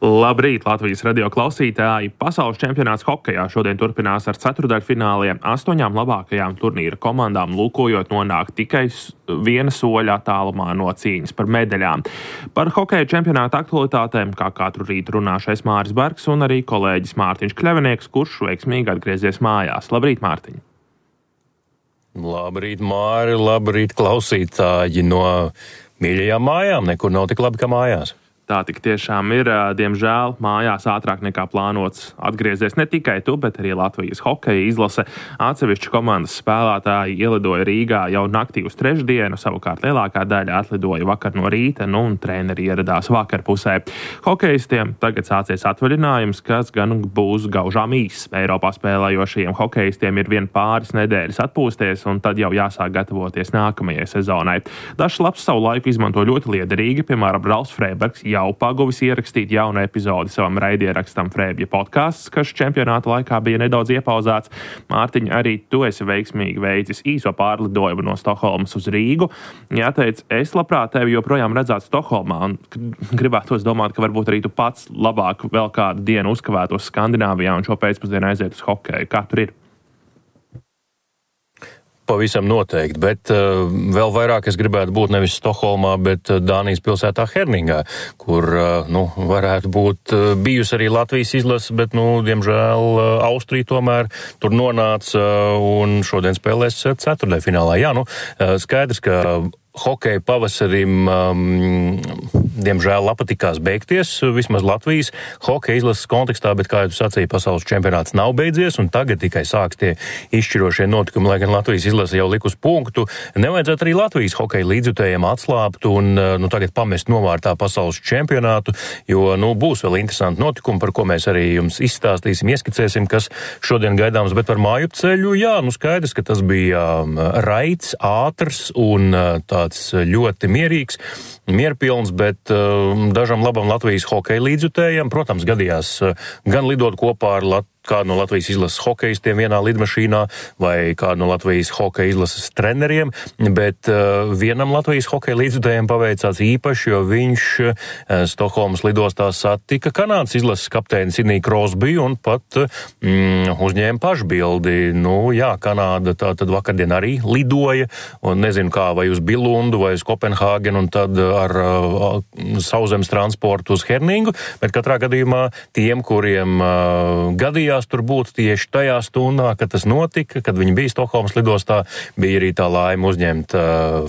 Labrīt, Latvijas radio klausītāji! Pasaules čempionāts hokejā šodien turpinās ar ceturdaļfināliem. 8 labākajām turnīra komandām lūkojot nonākt tikai viena soļa attālumā no cīņas par medaļām. Par hokeja čempionāta aktualitātēm kā katru rītu runāšais Māris Bergs un arī kolēģis Mārtiņš Kļavinieks, kurš veiksmīgi atgriezies mājās. Labrīt, Mārtiņ! Labrīt, Māri! Labrīt, klausītāji! No mīļajām mājām nekur nav tik labi kā mājās. Tā tik tiešām ir, diemžēl, mājās ātrāk nekā plānots atgriezies ne tikai tu, bet arī Latvijas hokeja izlase. Atsevišķi komandas spēlētāji ielidoja Rīgā jau naktī uz trešdienu, savukārt lielākā daļa atlidoja vakar no rīta, un treneri ieradās vakarpusē. Hokejistiem tagad sācies atvaļinājums, kas gan būs gaužām īss. Eiropā spēlējošajiem hokejistiem ir vien pāris nedēļas atpūsties, un tad jau jāsāk gatavoties nākamajai sezonai. Dažs labs savu laiku izmanto ļoti liederīgi, piemēram, Ralfs Freibergs jau paguvis ierakstīt jaunu epizodi savam raidierakstam Frēbja podcasts, kas čempionāta laikā bija nedaudz iepauzēts. Mārtiņ, arī tu esi veiksmīgi veicis īso pārlidojumu no Stokholmas uz Rīgu. Jāteic, es labprāt tevi joprojām redzētu Stokholmā un gribētos domāt, ka varbūt arī tu pats labāk vēl kādu dienu uzkavētos Skandināvijā un šo pēcpusdienu aiziet uz hokeju. Kā tur ir? Pavisam noteikti, bet vēl vairāk es gribētu būt nevis Stokholmā, bet Dānijas pilsētā Herningā, kur, varētu būt bijusi arī Latvijas izlase, bet, diemžēl, Austrija tomēr tur nonāca un šodien spēlēs ceturtdaļfinālā. Jā, skaidrs, ka hokeja pavasarim, diemžēl, patikās beigties, vismaz Latvijas hokeja izlases kontekstā, bet, kā jau sacīja, pasaules čempionāts nav beidzies, un tagad tikai sāks tie izšķirošie notikumi, lai gan Latvijas izlase jau likus punktu. Nevajadzētu arī Latvijas hokeja līdzjutējiem atslābt un tagad pamest novārtā pasaules čempionātu, jo, būs vēl interesanti notikumi, par ko mēs arī jums izstāstīsim, ieskicēsim, kas šodien gaidāms, bet par mājupceļu, jā, skaidrs, ka tas bija raids, ātrs un tāds ļoti mierīgs, mierpilns, bet dažam labam Latvijas hokeja līdzjutējiem, protams, gadījās gan lidot kopā ar kādu no Latvijas izlases hokejistiem vienā lidmašīnā vai kādu no Latvijas hokeja izlases treneriem, bet vienam Latvijas hokeja līdzjutējiem paveicās īpaši, jo viņš Stokholmas lidostā satika Kanādas izlases kapteini Sidniju Krosbiju un pat uzņēma pašbildi. Jā, Kanāda tātad vakardien arī lidoja, un nezinu kā, vai uz Bilundu vai uz Kopenhāgenu un tad ar sauszemes transportu uz Herningu, bet katrā gadījumā tiem, kuriem gadījās tur būt tieši tajā stundā, kad tas notika, kad viņi bija Stokholmas lidostā, bija arī tā laime uzņemt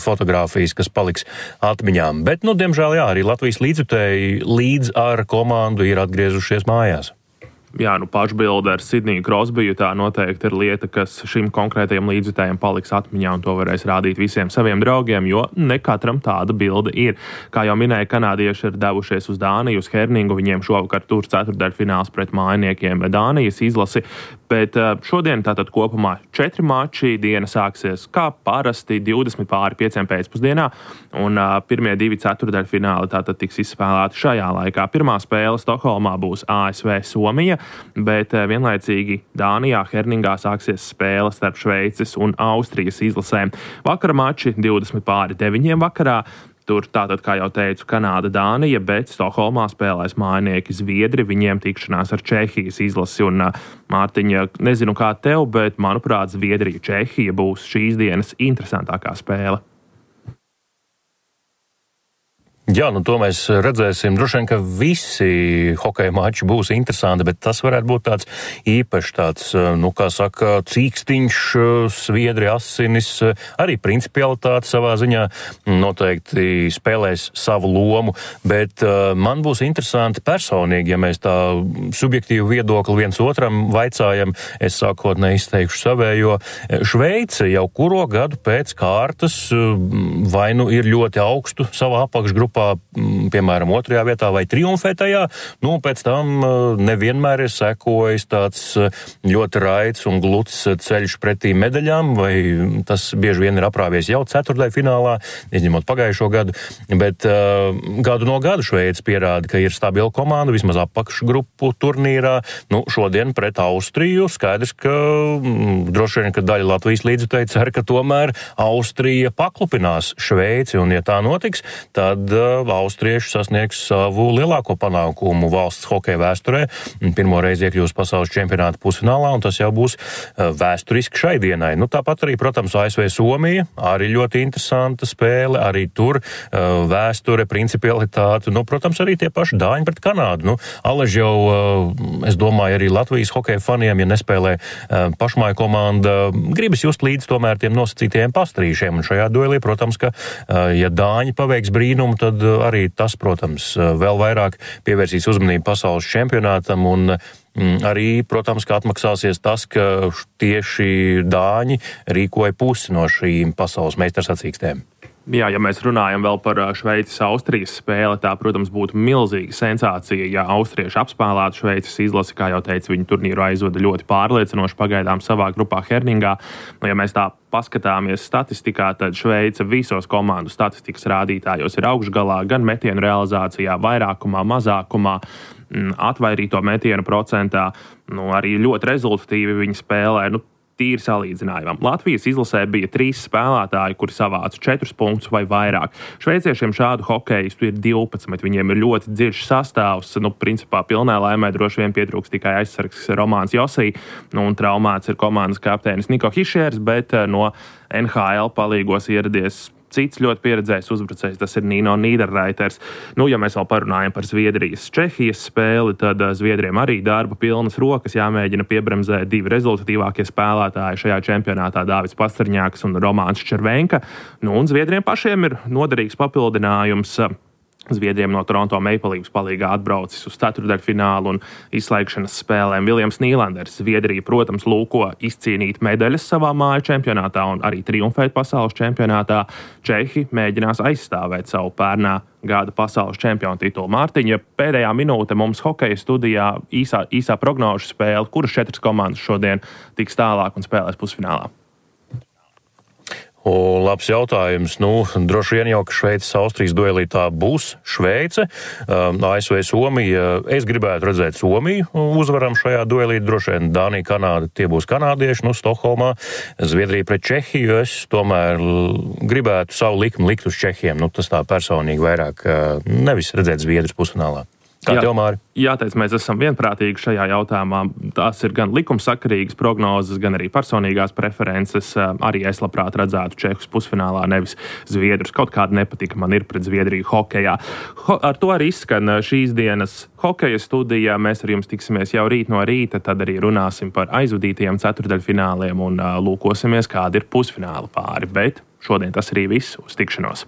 fotogrāfijas, kas paliks atmiņām. Bet, diemžēl, jā, arī Latvijas līdzjutēji līdz ar komandu ir atgriezušies mājās. Jā, pašbilde ar Sidniju Krosbiju tā noteikti ir lieta, kas šim konkrētajam līdzjutējam paliks atmiņā un to varēs rādīt visiem saviem draugiem, jo ne katram tāda bilde ir. Kā jau minēja, kanādieši ir devušies uz Dāniju, uz Herningu, viņiem šovakar tur ceturtdaļfināls pret mājiniekiem Dānijas izlasi, bet šodien tātad kopumā 4 mači, diena sāksies kā parasti 20:05 pēcpusdienā, un pirmie 2 ceturtdaļfināli tātad tiks izspēlēti šajā laikā. Pirmā spēle Stokholmā būs ASV Somija, bet vienlaicīgi Dānijā Herningā sāksies spēle starp Šveices un Austrijas izlasēm. Vakara mači 20:09 vakarā. Tur tātad, kā jau teicu, Kanāda, Dānija, bet Stokholmā spēlēs mājinieki Zviedri, viņiem tikšanās ar Čehijas izlasi. Un, Mārtiņa, nezinu kā tev, bet, manuprāt, Zviedrija, Čehija būs šīs dienas interesantākā spēle. Jā, to mēs redzēsim. Droši vien, ka visi hokeja mači būs interesanti, bet tas varētu būt tāds īpašs tāds, kā saka, cīkstiņš, Sviedri asinis, arī principialitāte savā ziņā noteikti spēlēs savu lomu, bet man būs interesanti personīgi, ja mēs tā subjektīvu viedokli viens otram vaicājam, es sākotnēji izteikšu savējo. Šveice jau kuro gadu pēc kārtas vai ir ļoti augstu savā apakšgrupā, piemēram, 2. vietā vai triumfē tajā, pēc tam nevienmēr ir sekojis tāds ļoti raids un gluds ceļš pretī medaļām, vai tas bieži vien ir aprāvies jau ceturtdaļfinālā, izņemot pagājušo gadu, bet gadu no gada Šveice pierāda, ka ir stabila komanda, vismaz apakšgrupu turnīrā. Šodien pret Austriju skaidrs, ka droši vien, ka daļa Latvijas līdzjutēji cer, ka tomēr Austrija paklupinās Šveici, un ja tā notiks, tad austrieši sasniegs savu lielāko panākumu valsts hokeja vēsturē. Pirmo reizi iekļūs pasaules čempionāta pusfinālā, un tas jau būs vēsturiski šai dienai. Tāpat arī, protams, ASV Somija, arī ļoti interesanta spēle, arī tur vēsture, principialitāte, protams, arī tie paši dāņi pret Kanādu. Alež jau, es domāju, arī Latvijas hokeja faniem, ja nespēlē pašmāju komanda, gribas just līdz tomēr tiem nosacītajiem pastrīšiem, un šajā duelī, protams, ka, ja dāņi paveiks brīnumu, tad arī tas, protams, vēl vairāk pievērsīs uzmanību pasaules čempionātam, un arī, protams, ka atmaksāsies tas, ka tieši dāņi rīkoja pusi no šīm pasaules meistarsacīkstēm. Jā, ja mēs runājam vēl par Šveices-Austrijas spēli, tā, protams, būtu milzīga sensācija, ja austrieši apspēlētu Šveices izlasi, kā jau teicu, viņi turnīru aizvada ļoti pārliecinoši pagaidām savā grupā Herningā. Ja mēs tā paskatāmies statistikā, tad Šveice visos komandu statistikas rādītājos ir augšgalā, gan metienu realizācijā, vairākumā, mazākumā, atvairīto metienu procentā, arī ļoti rezultatīvi viņi spēlē, tīri salīdzinājumam. Latvijas izlasē bija 3 spēlētāji, kuri savāca 4 punktus vai vairāk. Šveiciešiem šādu hokeistu ir 12, viņiem ir ļoti dziļš sastāvs, principā pilnā laimē droši vien pietrūks tikai aizsargs Romāns Josī, un traumēts ir komandas kapteinis Niko Hišers, bet no NHL palīgos ieradies cits ļoti pieredzējis uzbrucējs, tas ir Nino Niederreiters. Ja mēs vēl parunājam par Zviedrijas-Čehijas spēli, tad Zviedriem arī darba pilnas rokas jāmēģina piebremzēt 2 rezultatīvākie spēlētāji šajā čempionātā, Dāvids Pasterņāks un Romāns Červenka. Un Zviedriem pašiem ir noderīgs papildinājums. Zviedriem no Toronto Maple Leafs palīgā atbraucis uz ceturtdaļfinālu un izslēgšanas spēlēm Viljams Nīlanders. Zviedrija, protams, lūko izcīnīt medaļas savā māju čempionātā un arī triumfēt pasaules čempionātā. Čehi mēģinās aizstāvēt savu pērnā gada pasaules čempionu titulu. Mārtiņa, pēdējā minūte mums hokeja studijā īsā prognožu spēle, kuras 4 komandas šodien tiks tālāk un spēlēs pusfinālā. Labs jautājums. Droši vien jau, ka Šveices-Austrijas duelī tā būs Šveice. ASV Somija, es gribētu redzēt Somiju uzvaram šajā duelī. Droši vien Dānija, Kanāda, tie būs kanādieši, Stokholmā. Zviedrija pret Čehiju, es tomēr gribētu savu likmi likt uz Čehiem. Tas tā personīgi vairāk nevis redzēt Zviedrus pusfinālā. Kā tev, Māri? Jāteic, mēs esam vienprātīgi šajā jautājumā. Tās ir gan likumsakarīgas prognozes, gan arī personīgās preferences. Arī es labprāt redzētu Čehus pusfinālā, nevis Zviedrus. Kaut kāda nepatika man ir pret Zviedriju hokejā. Ar to arī izskan šīs dienas hokeja studijā. Mēs ar jums tiksimies jau rīt no rīta, tad arī runāsim par aizvadītajiem ceturtdaļfināliem un lūkosimies, kādi ir pusfināla pāri. Bet šodien tas arī viss. Uz tikšanos!